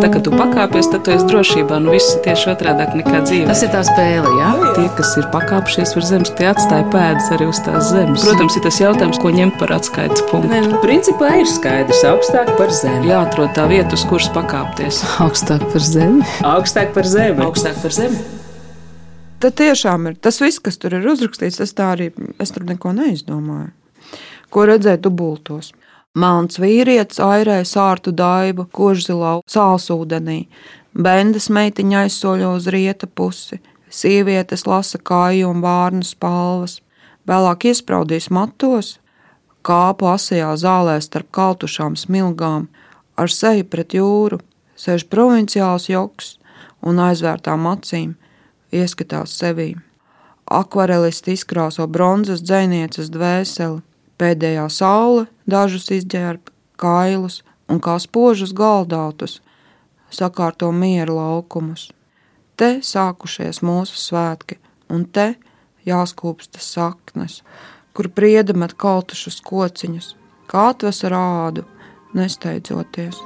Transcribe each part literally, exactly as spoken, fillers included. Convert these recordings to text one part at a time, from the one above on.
Tā, kad tu pakāpies, tad tu esi drošībā. Nu, viss ir tieši otrādāk nekā dzīvē. Tas ir tā spēle, jā? Tie, kas ir pakāpšies virs zemes, tie atstāja pēdas arī uz tās zemes. Protams, ir tas jautājums, ko ņemt par atskaites punktu. Ne, nu, principā ir skaidrs, augstāk par zemi. Jāatrod tā vieta, uz kuras pakāpties. Augstāk par zemi. Augstāk par zemi. Augstāk par zemi. Tad tiešām ir tas viss, kas tur ir uzrakstīts, tas tā arī, es tur neko neizdomāju. Ko redzēju dubultos. Melns vīrietis airē sārtu daibu, kožzilā sālsūdenī. Bendas meitiņa aizsoļo uz rieta pusi. Sievietes lasa kāju un vārnu spalvas. Vēlāk iespraudīs matos, kāpu asajā zālē starp kaltušām smilgām, ar seju pret jūru, sēž provinciāls joks un aizvērtām acīm. Ieskatās sevī. Akvarelisti izkrāso bronzas dzejnieces dvēseli, pēdējā saule dažus izģērb kailus un kā spožus galdautus sakārto miera laukumus. Te sākušies mūsu svētki, un te jāskūpstas saknes, kur prieda met kaltušus kociņus, kā atvesa rādu, nesteidzoties.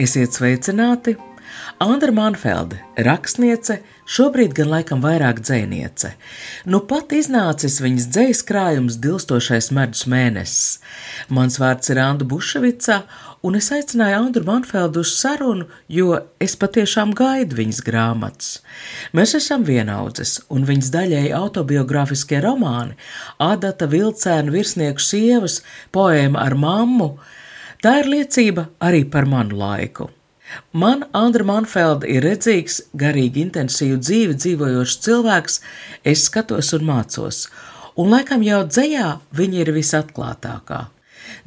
Esiet sveicināti! Andra Manfelde, rakstniece, šobrīd gan laikam vairāk dzejniece. Nu pat iznācis viņas dzejas krājums Dilstošais medus mēnesis. Mans vārds ir Anda Buševica, un es aicināju Andru Manfeldu uz sarunu, jo es patiešām gaidu viņas grāmatas. Mēs esam vienaudzes, un viņas daļēji autobiogrāfiskie romāni Adata Vilcēna Virsnieku sievas, poēma ar mammu, tā ir liecība arī par manu laiku. Man Andra Manfelde ir redzīgs, garīgi intensīvu dzīvi dzīvojošs cilvēks, es skatos un mācos, un laikam jau dzejā viņa ir visatklātākā.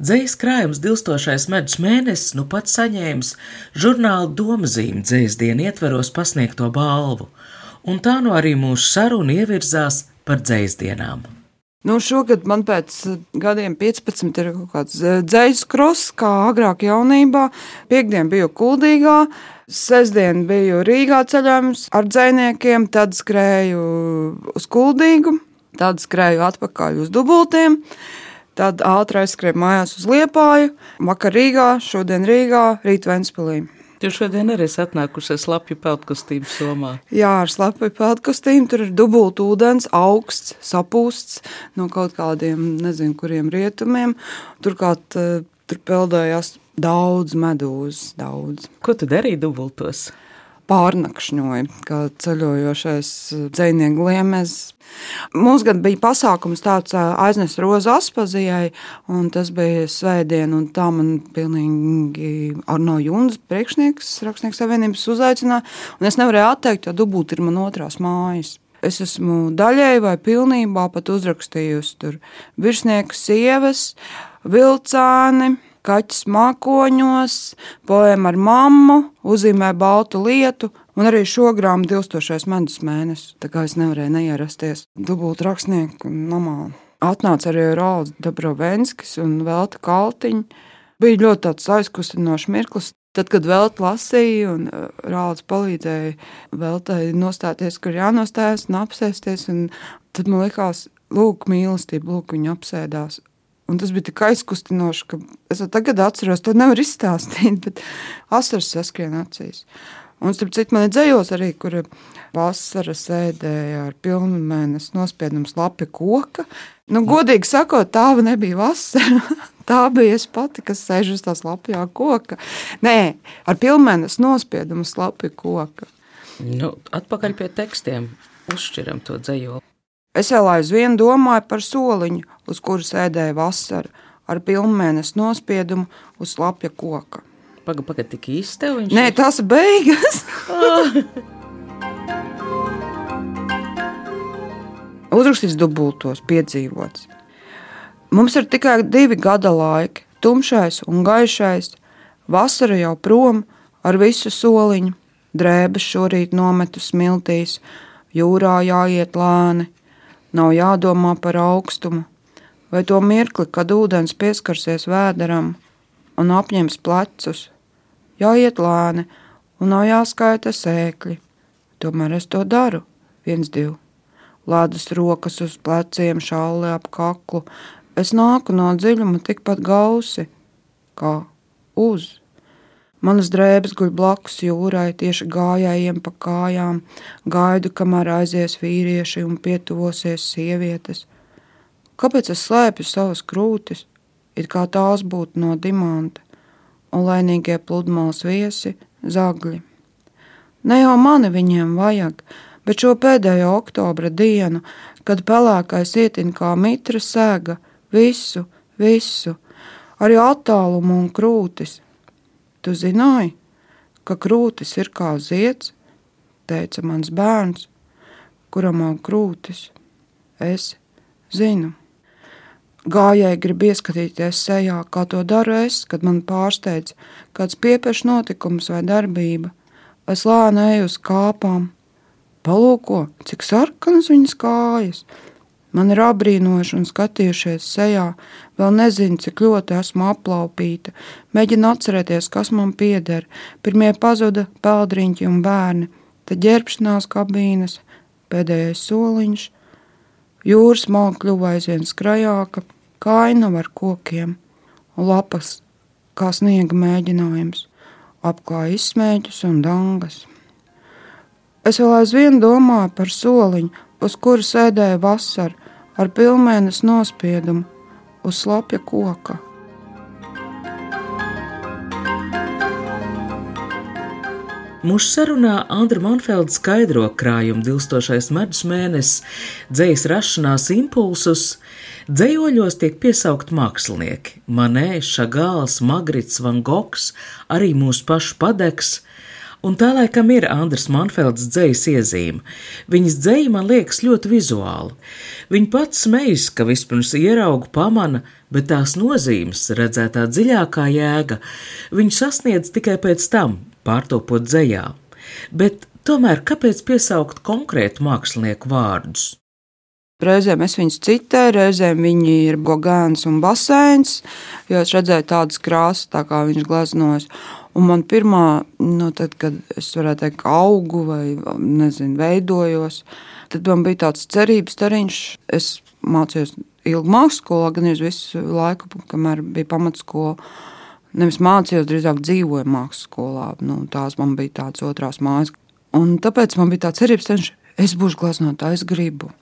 Dzejas krājums Dilstošais medus mēnesis nu pat saņēmis žurnāla Domzīme dzejas dienu ietveros pasniegto balvu, un tā nu arī mūsu saruna ievirzās par dzejas dienām. Nu, šogad man pēc gadiem piecpadsmit ir kaut kāds dzejas kross, kā agrāk jaunībā. Piektdien biju Kuldīgā, sestdien biju Rīgā ceļojums ar dzejniekiem, tad skrēju uz Kuldīgu, tad skrēju atpakaļ uz Dubultiem, tad ātri aizskrēju mājās uz Liepāju, vakar Rīgā, šodien Rīgā, rīt Ventspilī. Tu šodien arī esi atnākusi ar slapju peldkustību somā. Jā, ar slapju peldkustību, tur ir dubult ūdens, augsts, sapūsts no kaut kādiem, nezinu, kuriem rietumiem. Turklāt tur peldējās daudz medūzas, daudz. Ko tu darīji dubultos? Pārnakšņoja, kā ceļojošais dzejnieku liemez. Mums gan bija pasākums tāds aiznes rozu Aspazijai, un tas bija svētdien, un tā man pilnīgi Arno Jundas priekšnieks, Rakstnieku savienības uzaicināja, un es nevarēju atteikt, jo Dubult ir man otrās mājas. Es esmu daļēji vai pilnībā pat uzrakstījusi tur Virsnieku sievas, Vilcēni, Kaķis mākoņos, poēma ar mammu, Uzzīmē baltu lietu, un arī šo grāmatu Dilstošais medus mēnesis. Tā kā es nevarēju neierasties Dubult rakstnieku namā. Atnāca arī Rauds Dabrovenskis un Velta Kaltiņa. Bija ļoti tāds aizkustinošs mirklis. Tad, kad Velta lasīja un Rauds palīdzēja Veltai nostāties, kur jānostājas un apsēsties, un tad man likās, lūk, mīlestība, lūk, viņa apsēdās. Un tas bija tik aizkustinoši, ka es tagad atceros, to nevar izstāstīt, bet asaras saskrien acīs. Un starp citu man ir dzejos arī, kur vasara sēdēja ar pilnu mēnesi nospiedums lapi koka. Nu, godīgi sakot, tā nebija vasara. Tā bija es pati, kas sēž uz tās lapjā koka. Nē, ar pilnmēnesi nospiedumu lapi koka. Nu, atpakaļ pie tekstiem. Uzšķiram to dzejoli. Es vēl aizvien domāju par soliņu, uz kuru sēdēja vasara, ar pilnmēnesi nospiedumu uz lapja koka. Paga, paga, tik īsti tev viņš Nē, ir? Tas beigas. Uzrakstīts dubultos, piedzīvots. Mums ir tikai divi gada laiki, tumšais un gaišais, vasara jau prom ar visu soliņu, drēbes šorīt nometu smiltīs, jūrā jāiet lēni. Nav jādomā par augstumu, vai to mirkli, kad ūdens pieskarsies vēderam un apņems plecus. Jāiet lēni un nav jāskaita sēkļi. Tomēr es to daru, viens, divi. Lēdas rokas uz pleciem, šalle ap kaklu. Es nāku no dziļuma tikpat gausi, kā uz. Manas drēbes guļ blakus jūrai, tieši gājējiem pa kājām, gaidu, kamēr aizies vīrieši un pietuvosies sievietes. Kāpēc es slēpju savas krūtis, it kā tās būtu no dimanta, un lainīgie pludmales viesi zagļi? Ne jau mani viņiem vajag, bet šo pēdējo oktobra dienu, kad pelēkais ietin kā mitra sēga, visu, visu, arī attālumu un krūtis. Tu zināji, ka krūtis ir kā zieds, teica mans bērns, kuram aug krūtis. Es zinu. Gājēji grib ieskatīties sejā, kā to daru es, kad man pārsteidz kāds piepešs notikums vai darbība. Es lēnu eju uz kāpām. Palūko, cik sarkanas viņas kājas. Man ir apbrīnojuši un skatījušies sejā, vēl nezinu, cik ļoti esmu aplaupīta, mēģinu atcerēties, kas man pieder. Pirmie pazuda peldriņķi un bērni, tad ģērbšanās kabīnes, pēdējais soliņš, jūras malka kļuva aizvien skrajāka, kainava ar kokiem un lapas kā sniega mēģinājums, apklāja izsmēķus un dangas. Es vēl aizvien domāju par soliņu, uz kura sēdēja vasara, ar pilnmēnes nospiedumu uz slapja koka. Mūsu sarunā Andra Manfelda skaidro krājuma dilstošais medus mēnesis, dzejas rašanās impulsus. Dzejoļos tiek piesaukt mākslinieki – Manē, Šagāls, Magrits, Van Gogs, arī mūsu pašu Padeks. Un tā laikam ir Andras Manfeldas dzejas iezīme. Viņas dzeja man liekas ļoti vizuāli. Viņa pats smejas, ka vispirms ieraugu pamana, bet tās nozīmes, redzētā dziļākā jēga, viņu sasniedz tikai pēc tam, pārtopot dzejā. Bet tomēr kāpēc piesaukt konkrētu mākslinieku vārdus? Reizēm es viņus citēju, reizēm viņi ir Gogēns un Baseins, jo es redzēju tādas krāsas, tā kā viņš gleznojas. Un man pirmā, nu, tad, kad es varētu teikt, augu vai, nezinu, veidojos, tad man bija tāds cerības stariņš. Es mācījos ilgi māksskolā, gan arī visu laiku, kamēr bija pamatskola. Nevis mācījos, drīzāk dzīvoju māksskolā. Nu, tās man bija tāds otrās mājas. Un tāpēc man bija tā cerības stariņš, es būšu gleznotāja, es gribu.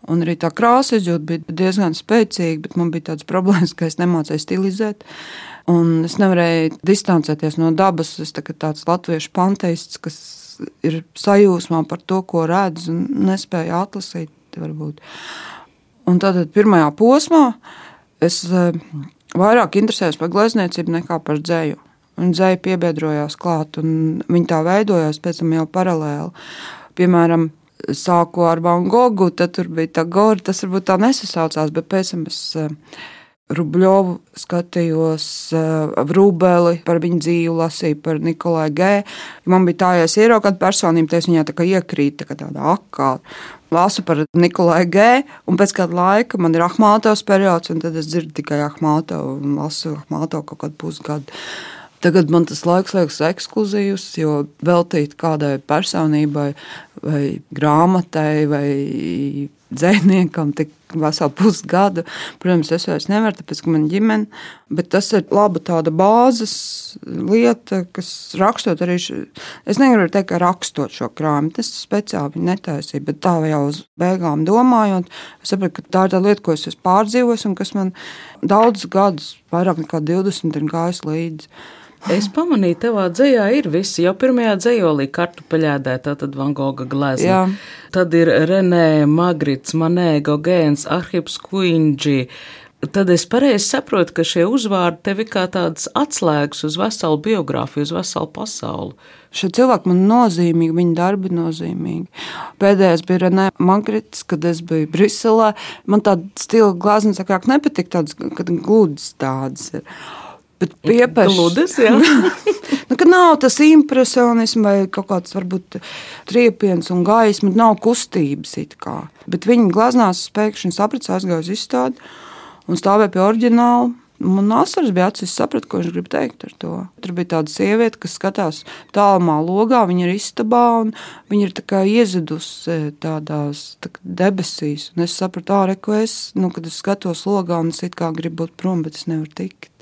Un arī tā krāsa izjūta bija diezgan spēcīga, bet man bija tāds problēmas, ka es nemācēju stilizēt. Un es nevarēju distancēties no dabas. Es tā, tāds latviešu panteists, kas ir sajūsmā par to, ko redz, un nespēju atlasīt. Varbūt. Un tātad pirmajā posmā es vairāk interesējos par glezniecību nekā par dzeju. Un dzeja piebiedrojās klāt, un viņi tā veidojās pēc tam jau paralēli. Piemēram, sāku ar Van Gogu, tad tur bija tā gori, tas varbūt tā nesasaucās, bet pēc tam es Rubļovu skatījos, Vrubeli, par viņu dzīvi lasīju, par Nikolai G. Man bija tā, ja es ieraugu kādu personību, tad es viņā tā kā iekrīt, tā kā tāda akā. Lasu par Nikolai G. Un pēc kāda laika man ir Ahmātovs periods, un tad es dzirdu tikai Ahmātovu un lasu Ahmātovu kaut kādu pusgadu. Tagad man tas laiks liekas ekskluzīvs, jo veltīt kādai personībai vai grāmatai vai dzejniekam tik veselu pusgadu. Protams, es vairs nevaru, tāpēc, ka man ģimene, bet tas ir laba tāda bāzes lieta, kas rakstot arī, š... es negribu teikt, ka rakstot šo krājumu, tas speciāli viņa netaisīja, bet tā jau uz beigām domājot, es sapratu, ka tā ir tā lieta, ko es esmu pārdzīvojis un kas man daudzus gadus, vairāk nekā divdesmit, ir gājis līdzi. Es pamanīju, tevā dzejā ir visi. Jau pirmajā dzejolī kartupeļēdē, tātad Van Goga glezna. Jā. Tad ir Renē, Magrits, Manē, Gogēns, Arhips Kuindži. Tad es pareizi saprotu, ka šie uzvārdi tev ir kā tādas atslēgas uz veselu biogrāfiju, uz veselu pasauli. Šie cilvēki man nozīmīgi, viņa darbi nozīmīgi. Pēdējais bija Renē Magrits, kad es biju Briselē. Man tāda stila glezna sakāk nepatīk, tādas, kad gludas tādas ir. Bet piepešs. Gludas, jā. Nu, ka nav tas impresionisms vai kaut kāds varbūt triepiens un gaisma, nav kustības it kā. Bet viņi gleznās pēkšņi saprats, aizgāja uz izstādi un stāvēja pie oriģināla. Man asaras bija acis, sapratu, ko viņš grib teikt ar to. Tur bija tāda sieviete, kas skatās tālumā logā, viņa ir istabā un viņa ir tā kā iezidusi tādās tā debesīs. Un es sapratu, ārē, ko es, nu, kad es skatos logā un es it kā gribu būt prom, bet es nevaru tikt.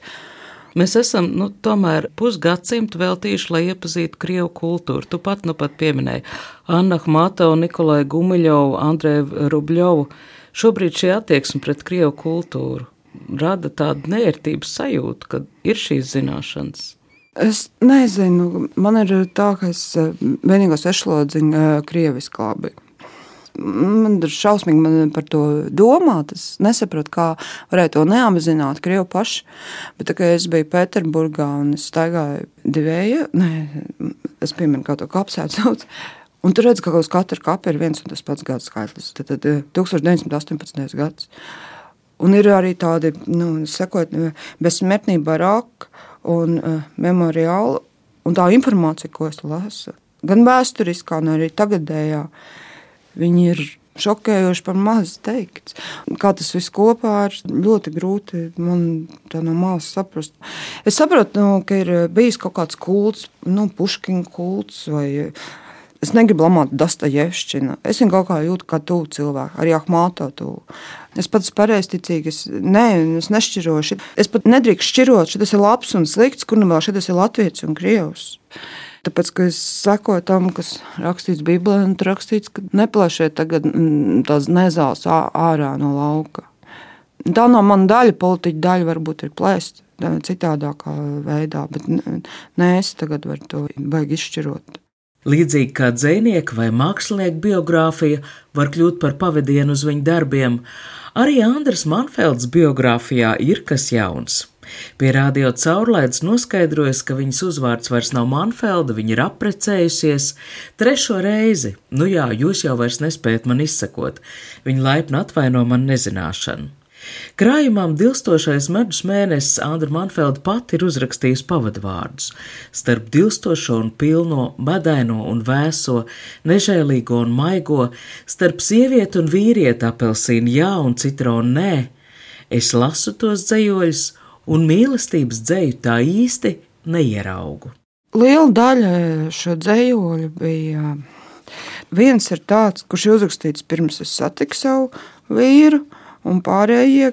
Mēs esam nu, tomēr pusgadsimtu veltījuši, lai iepazītu krievu kultūru. Tu pat nu pat pieminēji Annu Akhmatovu, Nikolaju Gumiļovu, Andreju Rubļovu. Šobrīd šī attieksme pret krievu kultūru rada tādu neērtības sajūtu, kad ir šīs zināšanas. Es nezinu, man ir tā, ka es vienīgos ešlodziņu krieviski labi. Man ir šausmīgi man par to domāt. Es nesaprotu, kā varēja to neapzināt krievu paši. Bet tā kā es biju Pēterburgā un es staigāju divēju, ne, es pieminu, kā to kapsētu sauc. Un tur redz, ka uz katru kapu ir viens un tas pats gads skaitlis. Tad, tad deviņdesmit deviņi astoņpadsmitais gads. Un ir arī tādi, nu, sekot, bezsmērtnība Raka un uh, memoriāla. Un tā informācija, ko es lasu, gan vēsturiskā, gan arī tagadējā, viņi ir šokējoši par maz teikts. Kā tas viss kopā ir ļoti grūti man tā no malas saprast. Es saprotu, nu, ka ir bijis kaut kāds kults, nu, Puškina kults vai... Es negribu lamāt Dostojevšķinu. Es viņu kaut kā jūtu kā tuvu cilvēku, arī Akhmatovu tuvu. Es pats pareizticīgi, es, ne, es nešķirošu. Es pat nedrīkst šķirot, šitas ir labs un slikts, kur nu vēl šitas ir latvietis un krievs. Tāpēc, ka es sekoju tam, kas rakstīts Bībelē, un tur rakstīts, ka neplašiet tagad tās nezāles ārā no lauka. Tā no mana daļa, politiķa daļa varbūt ir plēst citādākā veidā, bet ne es tagad varu to baigi izšķirot. Līdzīgi kā dzejnieka vai mākslinieka biogrāfija var kļūt par pavadienu uz viņu darbiem, arī Andras Manfeldes biogrāfijā ir kas jauns. Pie radio caurlaides noskaidrojas, ka viņas uzvārds vairs nav Manfelda, viņa ir apprecējusies trešo reizi. Nu jā, jūs jau vairs nespējat man izsekot. Viņa laipni atvaino man nezināšanu. Krājumam dilstošais medus mēnesis Andra Manfelda pati ir uzrakstījusi pavadvārdus. Starp dilstošo un pilno, medaino un vēso, nežēlīgo un maigo, starp sievieti un vīrieti apelsīnu jā un citronu nē, es lasu tos dzejoļus un mīlestības dzeju tā īsti neieraugu. Liela daļa šo dzejoļu bija. Viens ir tāds, kurš ir uzrakstīts pirms es satiku savu vīru, un pārējie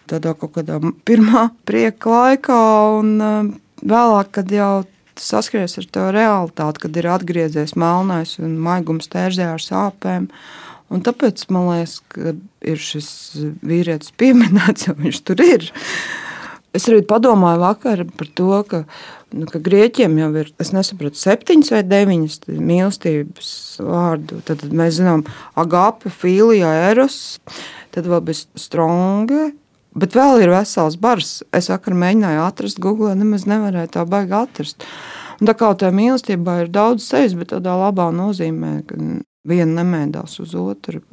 tādā kaut kādā pirmā prieka laikā, un vēlāk, kad jau saskaries ar to realitāti, kad ir atgriezies melnais un maigums tērzē ar sāpēm. Un tāpēc man liekas, ka ir šis vīrietis pieminēts, jo viņš tur ir. Es arī padomāju vakar par to, ka, nu, ka grieķiem jau ir, es nesapratu, septiņas vai deviņas mīlestības vārdu. Tad mēs zinām agape, filija, eros, tad vēl bija stronga, bet vēl ir vesels bars. Es vakar mēģināju atrast Google, nemaz nevarēju tā baigi atrast. Un tā kā tā mīlestībā ir daudz sejas, bet tādā labā nozīmē, ka viena nemēdās uz otru.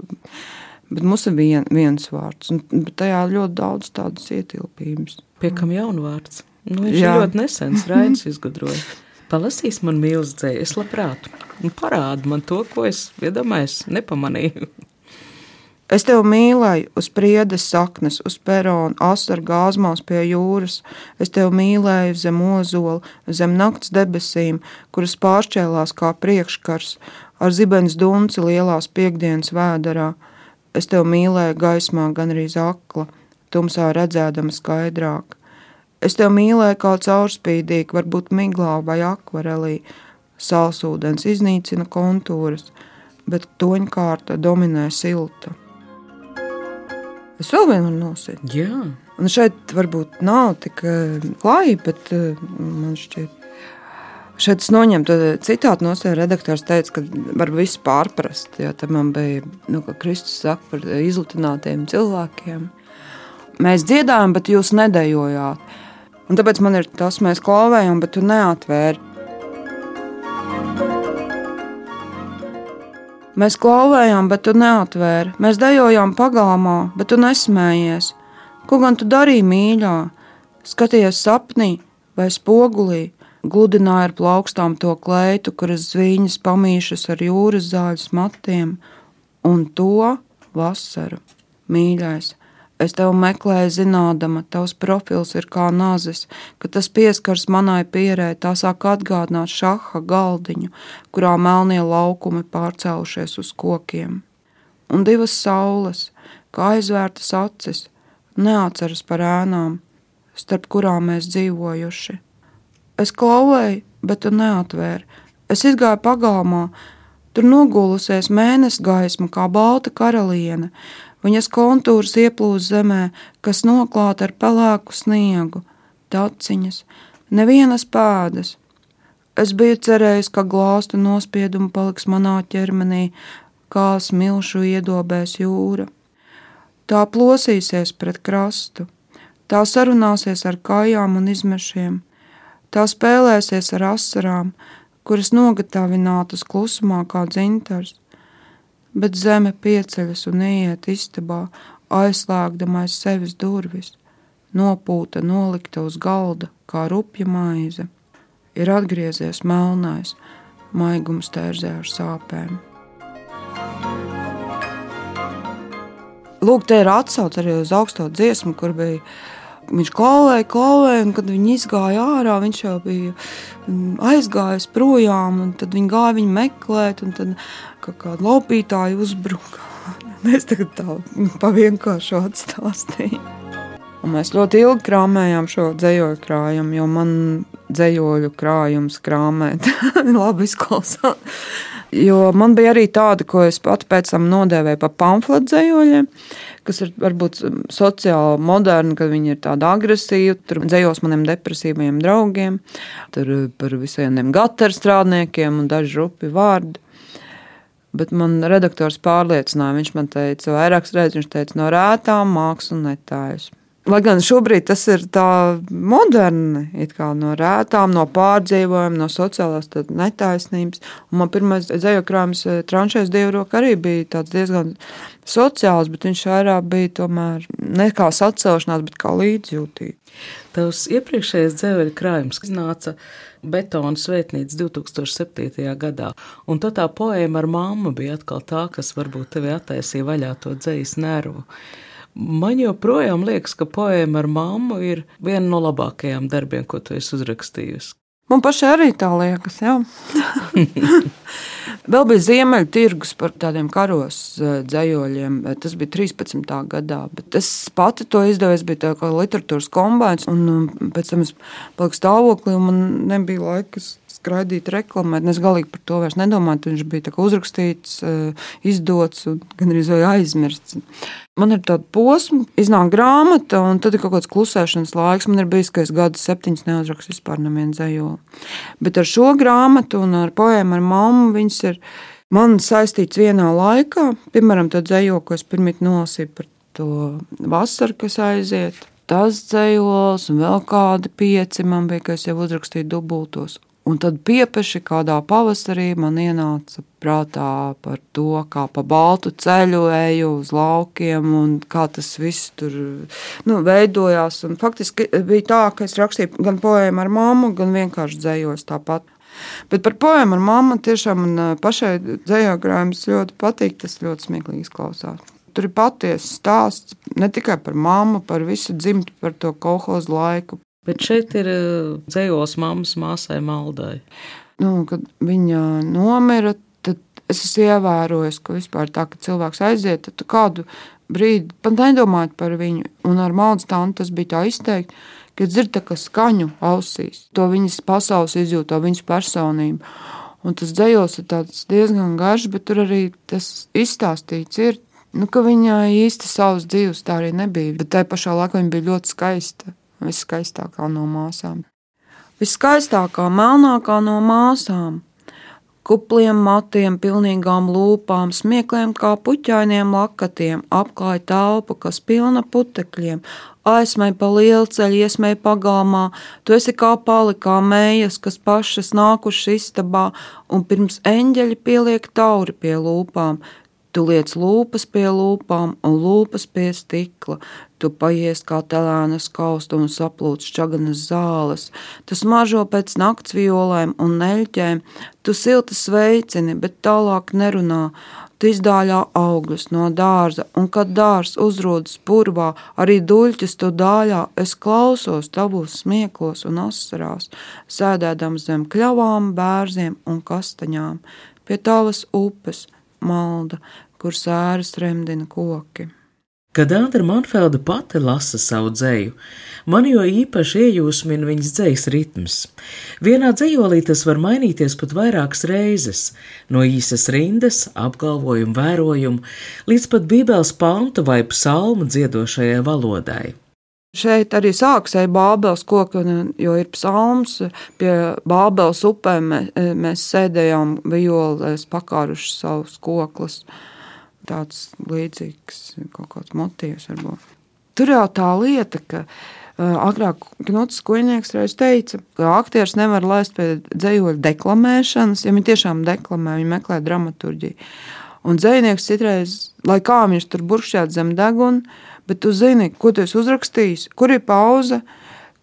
Bet mums ir vien, viens vārds, un tajā ļoti daudz tādas ietilpības. Piekam jaunu vārds. Nu, viņš Jā. ir ļoti nesens, Rainis izgudroja. Palasīs man mīlestību, es labprāt. Un parādi man to, ko es iedomājos, nepamanīju. Es tevi mīlēju uz priedes saknes, uz perona, asaru gāzmās pie jūras. Es tevi mīlēju zem ozola, zem nakts debesīm, kuras pāršķēlās kā priekškars, ar zibens dunci lielās piekdienas vēderā. Es tevi mīlēju gaismā gandrīz akla, tumsā redzēdama skaidrāk. Es tevi mīlēju kā caurspīdīgi, varbūt miglā vai akvarelī. Sālsūdens iznīcina kontūras, bet toņkārta dominē silta. Es vēl vienu varu nosīt. Jā. Un šeit varbūt nav tik klāji, bet man šķiet. Šeit es noņemtu citātu no sevi. Redaktors teica, ka var visu pārprast. Jo tam man bija, nu, ka Kristus saka par izlutinātiem cilvēkiem. Mēs dziedājam, bet jūs nedejojāt. Un tāpēc man ir tas, mēs klauvējam, bet tu neatvēri. Mēs klauvējām, bet tu neatvēri. Mēs dejojām pagalmā, bet tu nesmējies. Ko gan tu darīji, mīļā? Skaties sapnī vai spogulī? Gludināja ar plaukstām to kleitu, kuras zvīņas pamīšas ar jūras zāļas matiem. Un to vasaru, mīļais. Es tevi meklēju zinādama, tavs profils ir kā nazis, ka tas pieskars manai pierē, tā sāk atgādināt šaha galdiņu, kurā melnie laukumi pārcēlušies uz kokiem. Un divas saules, kā aizvērtas acis, neatceras par ēnām, starp kurām mēs dzīvojuši. Es klauvēju, bet tu neatvēri. Es izgāju pagalmā, tur nogulusies mēnesi gaisma kā balta karaliene. Viņas kontūrs ieplūst zemē, kas noklāta ar pelēku sniegu, taciņas, nevienas pēdas. Es biju cerējis, ka glāstu nospiedumi paliks manā ķermenī, kā smilšu iedobēs jūra. Tā plosīsies pret krastu, tā sarunāsies ar kājām un izmešiem, tā spēlēsies ar asarām, kuras nogatavinātas klusumā kā dzintars, bet zeme pieceļas un ieiet istabā, aizslēgdamais sevis durvis, nopūta nolikta uz galda kā rupja maize. Ir atgriezies melnais, maigums tērzē ar sāpēm. Lūk, te ir atsauce arī uz augsto dziesmu, kur bija viņš klauvēja, klauvēja, un kad viņi izgāja ārā, viņš jau bija aizgājis projām, un tad viņi gāja viņu meklēt, un tad kāda laupītāja uzbruka. Es tagad tā pa vienkāršu atstāstīju. Un mēs ļoti ilgi krāmējām šo dzejoļu krājumu, jo man dzejoļu krājums krāmēt labi izklausās. Jo man bija arī tāda, ko es pati pēc tam nodēvēju par pamfletu dzejoļiem, kas ir varbūt sociāli moderni, kad viņi ir tādi agresīvi, tur dzejos maniem depresīvajiem draugiem, tur par visiem gaterstrādniekiem un daži rupi vārdi. Bet man redaktors pārliecināja, viņš man teica, vairākas reizes viņš teica, no rētām mākslu netājas. Lai gan šobrīd tas ir tā moderni, it kā no rētām, no pārdzīvojuma, no sociālās netaisnības. Un man pirmais dzejoļu krājums Tranšais dievroka arī bija tāds diezgan sociāls, bet viņš vairāk bija tomēr ne kā sacelšanās, bet kā līdzjūtība. Tavs iepriekšējais dzejoļu krājums iznāca Betona svētnīca divi tūkstoši septītajā gadā, un tad tā poēma ar mammu bija atkal tā, kas varbūt tevi attaisīja vaļā to dzejas nervu. Man joprojām liekas, ka poēma ar mammu ir viena no labākajām darbiem, ko tu esi uzrakstījusi. Man pašai arī tā liekas, jā. Vēl bija Ziemeļu tirgus par tādiem karos dzejoļiem. Tas bija trīspadsmitā gadā, bet es pati to izdevu, es biju tā kā literatūras kombināts, un pēc tam es paliku stāvoklī, un man nebija laika skraidīt, reklamēt. Es galīgi par to vairs nedomāju, viņš bija tā kā uzrakstīts, izdots un gan arī aizmirsts. Man ir tāda posma, iznāk grāmata, un tad ir kaut kāds klusēšanas laiks. Man ir bijis, ka es gadus septiņus neuzrakstu vispār nevienu dzejoli. Bet ar šo grāmatu un ar poēmu ar mammu viņas ir man saistīts vienā laikā. Piemēram, tā dzejoli, ko es pirmīt nolasīju par to vasaru, kas aiziet. Tas dzejols un vēl kādi pieci man bija, ka es jau uzrakstīju dubultos. Un tad piepeši kādā pavasarī man ienāca prātā par to, kā pa baltu ceļu eju uz laukiem un kā tas viss tur nu, veidojās. Un faktiski bija tā, ka es rakstīju gan poēmu ar mammu, gan vienkārši dzejos tāpat. Bet par poēmu ar mammu tiešām man pašai dzejoļu krājums ļoti patīk, tas ļoti smieklīgi izklausās. Tur ir patiesa stāsts ne tikai par mammu, par visu dzimtu, par to kolhozu laiku. Bet šeit ir dzejols mammas māsai Maldai. Nu, kad viņa nomira, tad es esmu ievērojis, ka vispār tā, ka cilvēks aiziet, tad tu kādu brīdi pat nedomājot par viņu. Un ar Maldas tanti tas bija tā izteikti, ka dzird tā kā skaņu ausīs. To viņas pasaules izjūt, to viņas personību. Un tas dzejols ir tāds diezgan garš, bet tur arī tas izstāstīts ir, nu, ka viņa īsti savas dzīves tā arī nebija. Bet tai pašā laikā viņa bija ļoti skaista. Viskaistākā no māsām. Viskaistākā, melnākā no māsām. Kupliem matiem, pilnīgām lūpām, smiekliem kā puķainiem lakatiem, apklāja telpu, kas pilna putekļiem, aizmēja pa lielceļu, iesmēja pagalmā, tu esi kā palikā mējas, kas pašas nākuši istabā, un pirms eņģeļi pieliek tauri pie lūpām. Tu liec lūpas pie lūpām un lūpas pie stikla. Tu paies kā telēnas kaustu un saplūc šķaganas zāles. Tu smaržo pēc nakts violēm un neļķēm. Tu silti sveicini, bet tālāk nerunā. Tu izdāļā augļus no dārza, un kad dārs uzrodas purvā, arī duļķis tu dāļā, es klausos tavos smieklos un asarās, sēdēdams zem kļavām, bērziem un kastaņām, pie tavas upes, Malda, kur sēras remdina koki. Kad Andra Manfelde pati lasa savu dzeju, man jo īpaši iejūsmina viņas dzejas ritms. Vienā dzejolī tas var mainīties pat vairākas reizes, no īsas rindas, apgalvojumu vērojumu, līdz pat bībeles pantu vai psalmu dziedošajai valodai. Šeit arī sākas ar Bābeles koku, jo ir psalms, pie Bābeles upēm mēs sēdējām vijolēs pakāruši savus koklus. Tāds līdzīgs kaut kāds motīvs varbūt. Tur jau tā lieta, ka uh, agrāk Knuts Kuļnieks reiz teica, ka aktieris nevar laist pie dzejoļu deklamēšanas, ja viņi tiešām deklamē, viņi meklē dramaturģiju. Un dzejnieks citreiz, lai kā viņš tur burkšķēt zem deguna, bet tu zini, ko tu esi uzrakstījis, kur ir pauze,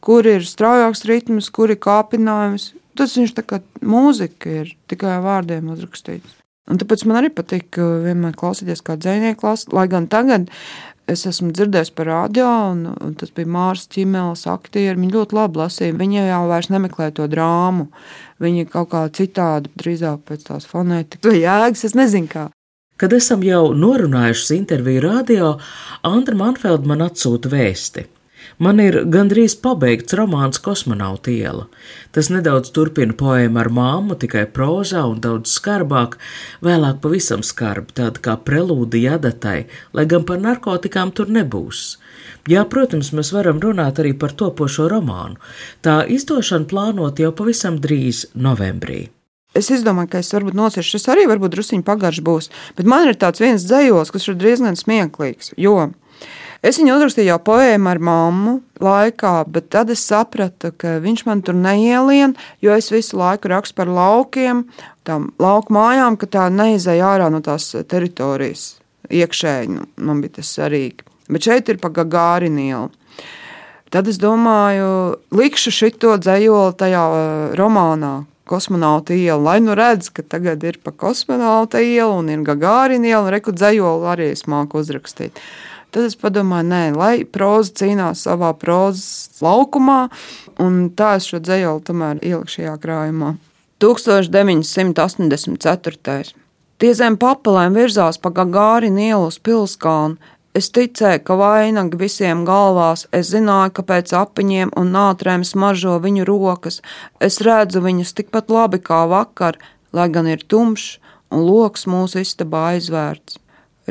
kur ir straujāks ritms, kur ir kāpinājums. Tas viņš tā kā mūzika ir tikai vārdiem uzrakstīts. Un tāpēc man arī patīk vienmēr klausīties kā dzejnieku lasa, lai gan tagad es esmu dzirdējis par radio, un, un tas bija Mārs Ķimeles aktieri, viņi ļoti labi lasīja, viņi jau vairs nemeklē to drāmu, viņi kaut kā citādi, drīzāk pēc tās fonētikas vai jēgas, es nezinu kā. Kad esam jau norunājušas interviju radio, Andra Manfelde man atsūta vēsti. Man ir gandrīz pabeigts romāns Kosmonauta iela. Tas nedaudz turpina poēmu ar māmu, tikai prozā un daudz skarbāk, vēlāk pavisam skarbi, tāda kā prelūdija adatai, lai gan par narkotikām tur nebūs. Jā, protams, mēs varam runāt arī par topošo romānu. Tā izdošana plānot jau pavisam drīz novembrī. Es izdomāju, ka es varbūt nosiešu, šis arī varbūt drusiņi pagarš būs, bet man ir tāds viens dzejols, kas ir diezgan smieklīgs, jo es viņu uzrakstīju jau poēmu ar mammu laikā, bet tad es sapratu, ka viņš man tur neielien, jo es visu laiku rakstu par laukiem, tām lauku mājām, ka tā neizēja ārā no tās teritorijas iekšēji, nu, man bija tas svarīgi. Bet šeit ir pa Gagārina ielu. Tad es domāju, likšu šito dzejoli tajā romānā, Kosmonauta iela, lai nu redz, ka tagad ir pa Kosmonauta ielu un ir Gagārina iela, un reku dzejoli arī es māku uzrakstīt. Tad es padomāju, nē, lai proza cīnās savā prozas laukumā, un tā es šo dzejoli tomēr ielikšu šajā krājumā. tūkstoš deviņi simti astoņdesmit ceturtais. Tie zem papelēm virzās pa Gagārina ielu uz Pilskalnu. Es ticēju, ka vainagi visiem galvās, es zināju, ka pēc apiņiem un nātrēm smaržo viņu rokas. Es redzu viņus tikpat labi kā vakar, lai gan ir tumšs un loks mūsu istabā aizvērts.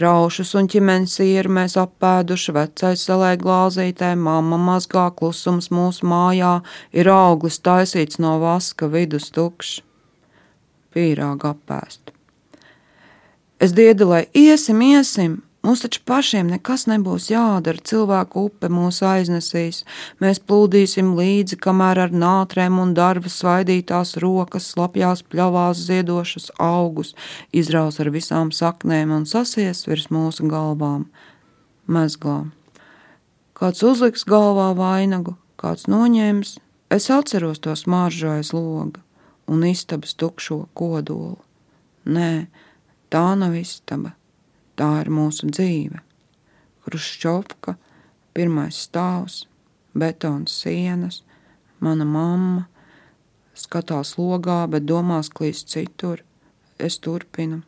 Raušus un ķimenes sieru mēs apēduši, vecais salē glāzītē, mamma mazgā, klusums mūsu mājā, ir auglis taisīts no vaska, vidus tukšs. Pīrāga apēst. Es diedu, lai iesim, iesim, mums taču pašiem nekas nebūs jādara, cilvēku upe mūs aiznesīs, mēs plūdīsim līdzi, kamēr ar nātrēm un darba svaidītās rokas, slapjās pļavās ziedošas augus, izraus ar visām saknēm un sasies virs mūsu galvām, mezglām. Kāds uzliks galvā vainagu, kāds noņems, es atceros to smaržu aiz loga un istabas tukšo kodolu. Nē, tā nav istaba. Tā ir mūsu dzīve. Hruščovka, pirmais stāvs, betons sienas, mana mamma, skatās logā, bet domās klīst citur. Es turpinu.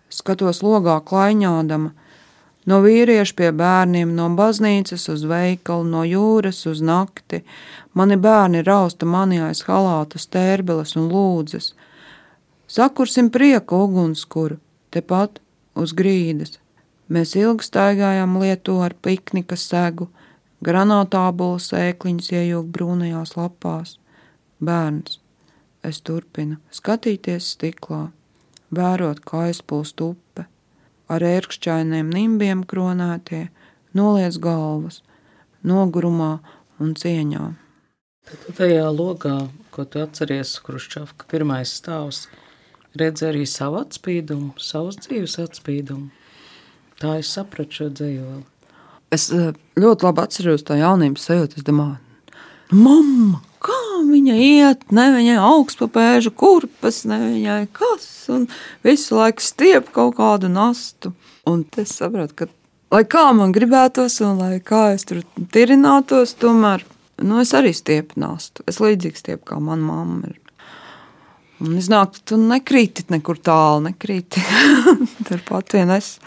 Skatos logā klaiņādama, no vīrieša pie bērniem, no baznīcas uz veikalu, no jūras uz nakti. Mani bērni rausta mani aiz halāta stērbeles un lūdzas. Sakursim prieka ugunskuru, tepat uz grīdas. Mēs ilgi staigājām lietu ar piknika segu, granātābolu sēkliņas iejūg brūnajās lapās. Bērns, es turpinu, skatīties stiklā, vērot, kā aizplūst upe, ar ērkšķainiem nimbiem kronētie, noliec galvas, nogurumā un cieņā. Tad tajā logā, ko tu atceries, Hruščovka pirmais stāvs, redz arī savu atspīdumu, savus dzīves atspīdumu. Tā es sapratu šo dzejoli. Es ļoti labi atceros tā jaunības sajūtu. Es domāju, mamma, kā viņa iet, ne viņai augsts pa pēžu kurpes, ne viņai kas, un visu laiku stiep kaut kādu nastu. Un es sapratu, ka, lai kā man gribētos, un lai kā es tur tirinātos, tomēr, nu, es arī stiepu nastu. Es līdzīgi stiepu, kā mana mamma ir. Un iznāk, tu nekrīti nekur tālu, nekrīti. Turpat vien es.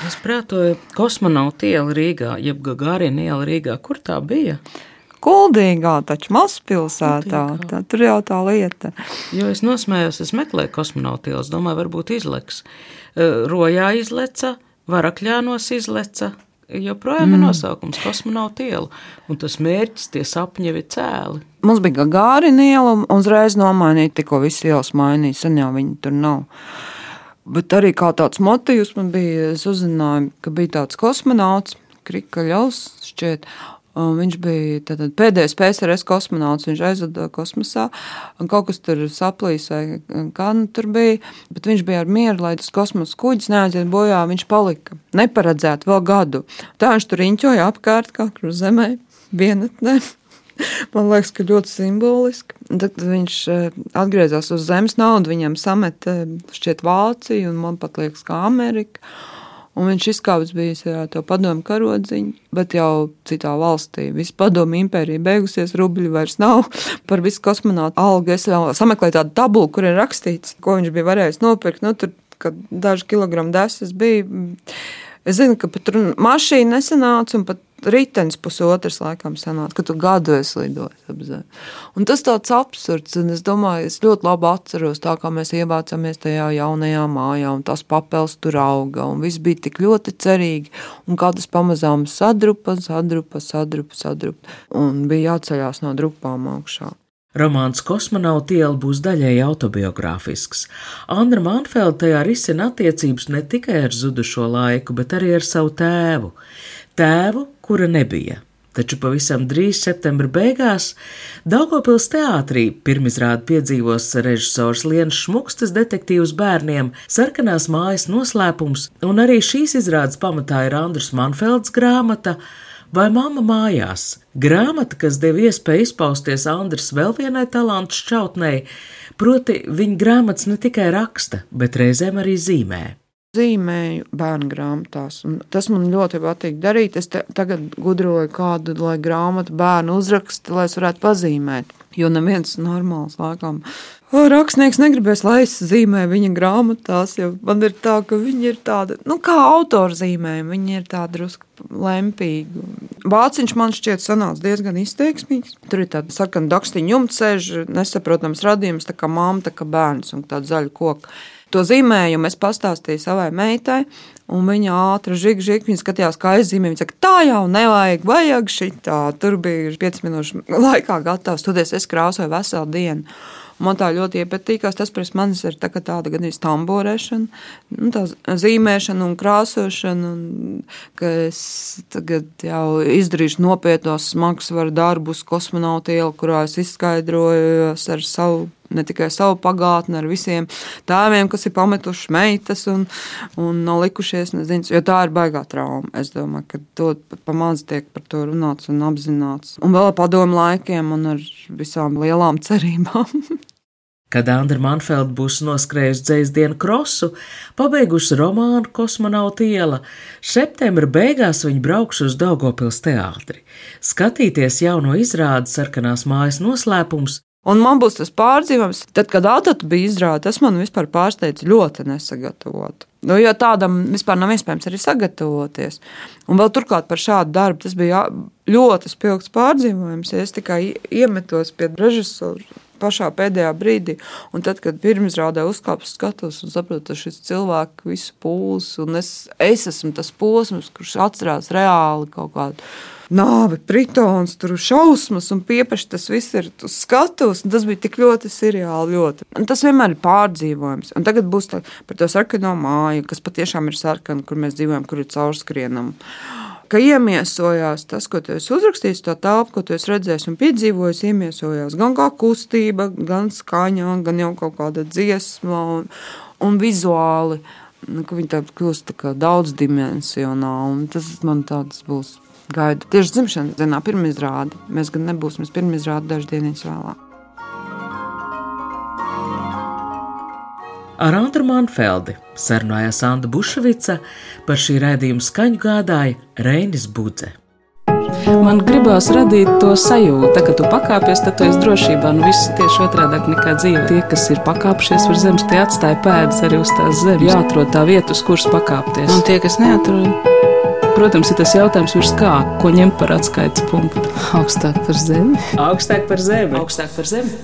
Es prātoju, kosmonauta iela Rīgā, jeb Gagarina iela Rīgā, kur tā bija? Kuldīgā, taču mazpilsētā, tā, tur jau tā lieta. Jo es nosmējos, es meklēju kosmonauta ielas, domāju, varbūt izleks. Rojā izleca, Varakļānos izleca, joprojām mm. ir nosaukums kosmonauta iela, un tas mērķis, tie sapņi jau ir cēli. Mums bija Gagārina iela, un uzreiz nomainīja, tikko viss ielas mainīja, sen jau viņi tur nav. Bet arī kā tāds motīvs man bija, es uzzināju, ka bija tāds kosmonauts, Krikaļovs šķiet, un viņš bija tātad pēdējais P S R S kosmonauts, viņš aizvada kosmosā, un kaut kas tur saplīs vai kā nu tur bija, bet viņš bija ar mieru, lai tas kosmosa kuģis neaiziet bojā, viņš palika neparedzēt vēl gadu. Tā viņš tur riņķoja apkārt kā kur zemē, vienatnē. Man liekas, ka ļoti simboliski. Un tad viņš atgriezās uz zemes naudu, viņam samet šķiet Vāciju, un man pat liekas kā Amerika. Un viņš izkāpis bijis ar to padomu karodziņu, bet jau citā valstī. Visa padomu impērija beigusies, rubļi vairs nav. Par visu kosmonautu algu es vēl sameklēju tādu tabulu, kur ir rakstīts, ko viņš bija varējis nopirkt. Nu, tur, kad daži kilogramu desas bija. Es zinu, ka pat tur mašīna nesanāca, un pat ritenis pusotras laikam sanāca, ka tu gadu esi lidojis ap zemi. Un tas tāds absurds, un es domāju, es ļoti labi atceros tā, kā mēs ievācamies tajā jaunajā mājā, un tās papels tur auga, un viss bija tik ļoti cerīgi, un kā tas pamazām sadrupa, sadrupa, sadrupa, sadrupa, un bija jāceļās no drupām augšā. Romāns Kosmonauta iela būs daļēji autobiogrāfisks. Andra Manfelda tajā risina attiecības ne tikai ar zudušo laiku, bet arī ar savu tēvu. Tēvu, kura nebija. Taču pavisam drīz septembra beigās Daugavpils teātrī pirmizrādi piedzīvos režisors Lienas Šmukstes detektīvs bērniem Sarkanās mājas noslēpums, un arī šīs izrādes pamatā ir Andras Manfeldas grāmata Vai mamma mājās? Grāmata, kas deva iespēju izpausties Andras vēl vienai talantu šķautnei, proti viņa grāmatas ne tikai raksta, bet reizēm arī zīmē. Zīmēju bērnu grāmatās, un tas man ļoti patīk darīt. Es te, tagad gudroju kādu, lai grāmatu bērnu uzraksta, lai es varētu pazīmēt, jo neviens normāls laikam rakstnieks negribēs, lai es zīmēju viņa grāmatās, jo man ir tā, ka viņi ir tāda, nu kā autori zīmējumi, viņi ir tāda drusku lempīgi. Vāciņš man šķiet sanāca diezgan izteiksmīgs. Tur ir tāda sarkana dakstiņa jumta sēž, nesaprotams radījums, tā kā mamma, tā kā bērns un tāda zaļa koka. To zīmējumu es pastāstīju savai meitai, un viņa ātri žig, žig, viņa skatījās, kā es zīmēju. Viņa saka, tā jau nevajag, vajag šitā. Tur bija pieci minūšu laikā gatavs, toties es krāsoju veselu dienu. Man tā ļoti iepatīkās, tas pēc manis ir tā, tāda gan ir tamborēšana, nu, tā zīmēšana un krāsošana, un ka es tagad jau izdarīšu nopietnos smagsvaru darbus Kosmonauta iela, kurā es izskaidrojos ar savu, ne tikai savu pagātni, ar visiem tēviem, kas ir pametuši meitas un, un nav likušies, nezinu, jo tā ir baigā trauma. Es domāju, ka to pamaz tiek par to runāts un apzināts. Un vēl padomu laikiem un ar visām lielām cerībām. Kad Andra Manfelda būs noskrējusi dzejsdienu krosu, pabeigusi romānu Kosmonauta iela, septembra beigās viņa brauks uz Daugavpils teātri, skatīties jauno izrādi Sarkanās mājas noslēpums. Un man būs tas pārdzīvojums, tad, kad Atatu bija izrāde, tas man vispār pārsteidz ļoti nesagatavot. Nu, jo tādam vispār nav iespējams arī sagatavoties. Un vēl turklāt par šādu darbu tas bija ļoti spilgts pārdzīvojums, ja es tikai iemetos pie režisora pašā pēdējā brīdī, un tad, kad pirmizrādē uzkāpus skatos un saprotu, ka šis cilvēks visu pūls, un es, es esmu tas posms, kurš atcerās reāli kaut kādu nāvi, pritons, tur šausmas un piepeši tas viss ir uz skatus, un tas bija tik ļoti seriāli, ļoti. Un tas vienmēr ir pārdzīvojums. Un tagad būs tā, par to sarkano māju, kas patiešām ir sarkana, kur mēs dzīvojam, kur ir caurskrienam. Ka iemiesojās tas, ko tu esi uzrakstījis, tā telpa, ko tu esi redzējis un piedzīvojis, iemiesojās gan kā kustība, gan skaņā, gan jau kaut kāda dziesma un, un vizuāli, ka viņi tā kļūst tā kā daudzdimensionāli, un tas man tāds būs gaida. Tieši dzimšanas dienā pirmizrāde, mēs gan nebūsim pirmizrāde dažas dienas vēlāk. Ar Andru Manfeldi sarunājās Anda Buševica, par šī raidījuma skaņu gādāja Reinis Budze. Man gribās radīt to sajūtu, tā, ka tu pakāpies, tad tu esi drošībā. Nu, viss tieši otrādāk nekā dzīve. Tie, kas ir pakāpšies uz zemes, tie atstāja pēdas arī uz tās zemes. Jāatrod tā vieta, uz kuras pakāpties. Un tie, kas neatrod, protams, ir tas jautājums virs kā, ko ņemt par atskaites punktu. Augstāk par zemi. Augstāk par zemi. Augstāk par zemi.